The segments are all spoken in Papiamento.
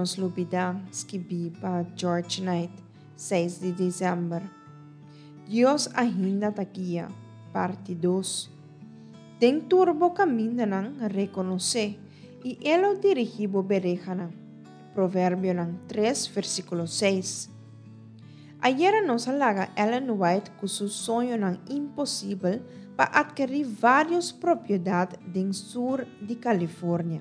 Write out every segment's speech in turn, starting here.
nos lubidá, skibí pa George Knight, 6 di desèmber. Dios ainda ta guia, parti dos. Den tur bo kamindanan rekonos'é, i e lo dirigí bo berehanan. Proverbionan 3, versíkulo 6. Ayera nos a laga Ellen White ku su soñonan imposibel pa atkerí vários propiedat den sur di California.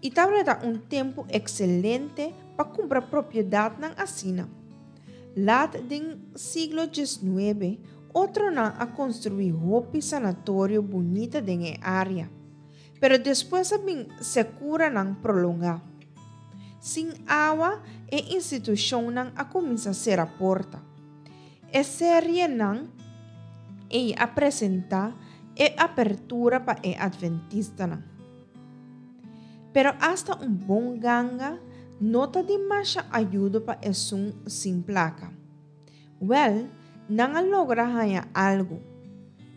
I tabata un tempu ekselente pa kumpra propiedatnan asina. Lat den siglo diesnuebe, otronan a konstruí hopi sanatorio bunita den e área, pero despues a bin sekuranan prolongá. Sin awa, e institushonnan a kuminsá sera porta. E serienan ei a presentá e apertura pa e adventistanan. Pero asta un bon ganga no ta di masha ayudo pa esun sin plaka. Wèl, nan a logra haña algu.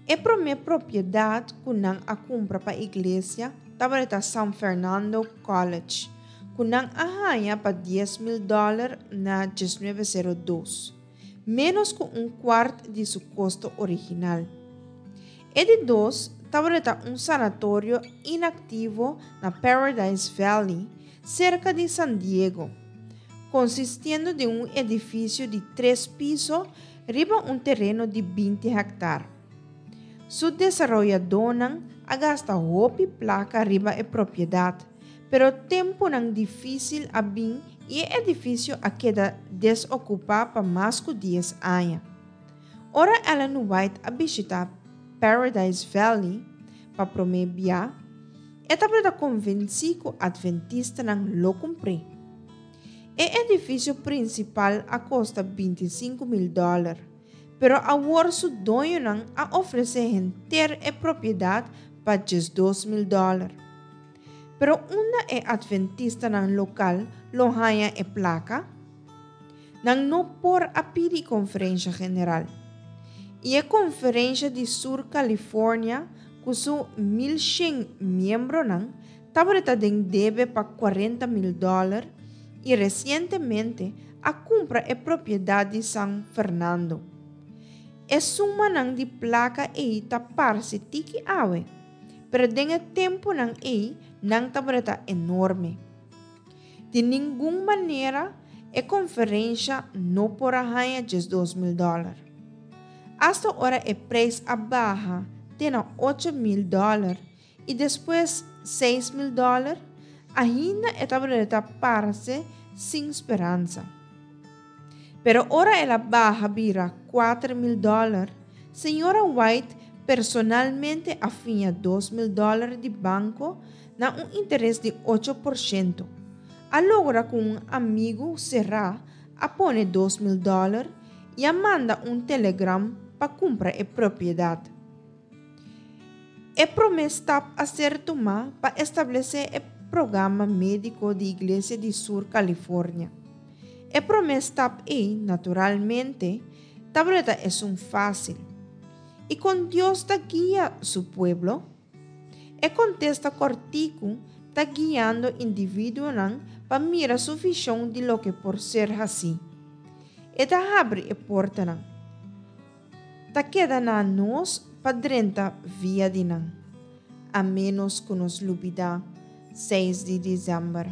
E promé propiedat ku nan a kumpra pa iglesia tabata San Fernando College, ku nan a haña pa 10,000 dòler na 1902, ménos ku un kuart di su kosto original. E di dos tabata un sanatorio inaktivo na Paradise Valley, serka di San Diego, konsistiendo di un edifisio di tres piso riba un tereno di 20 hèktar. Su desaroyadónan a gasta hopi plaka riba e propiedat, pero tempunan difísil a bin i e edifisio a keda desokupá pa mas ku 10 aña. Ora Ellen White a bishitá Paradise Valley pa promé bia, e tabata konvensí ku adventistanan lo kumpr'é. E edifisio prinsipal a kosta 25,000 dòler, pero awor su doñonan a ofresé henter e propiedat pa 12,000 dòler. Pero unda e adventistanan lokal lo haña e plaka? Nan no por a pidi konferensha general. I e konferensha di Sur California ku su 1100 miembronan tabata den debe pa 40,000 dòler i resientemente a kumpra e propiedat di San Fernando. E sumanan di plaka ei ta parse tiki awe, pero den e tempunan ei nan tabata enorme. Di ningun manera e konferensha no por a haña 12,000 dòler. Asta ora e preis a baha te na 8,000 dòler i despues 6,000 dòler, ainda e tabata parse sin speransa. Pero ora el a baha bira 4,000 dòler, señora White personalmente a fia 2,000 dòler di banko na un interes di 8%. A logra ku un amigu será a pone 2,000 dòler i a manda un telegram pa kumpra e propiedat. E promé stap a ser tumá pa establesé e programa médiko di Iglesia di Sur California. E promé stap ei, naturalmente, tabata esun fásil. I kon Dios ta guia su pueblo? E kontesta kòrtiku ta guiando individuonan pa mira su vishon di loke por ser hasí. E ta habri e portanan. Ta keda na nos pa drenta via di nan, a ménos ku nos lubidá 6 di desèmber.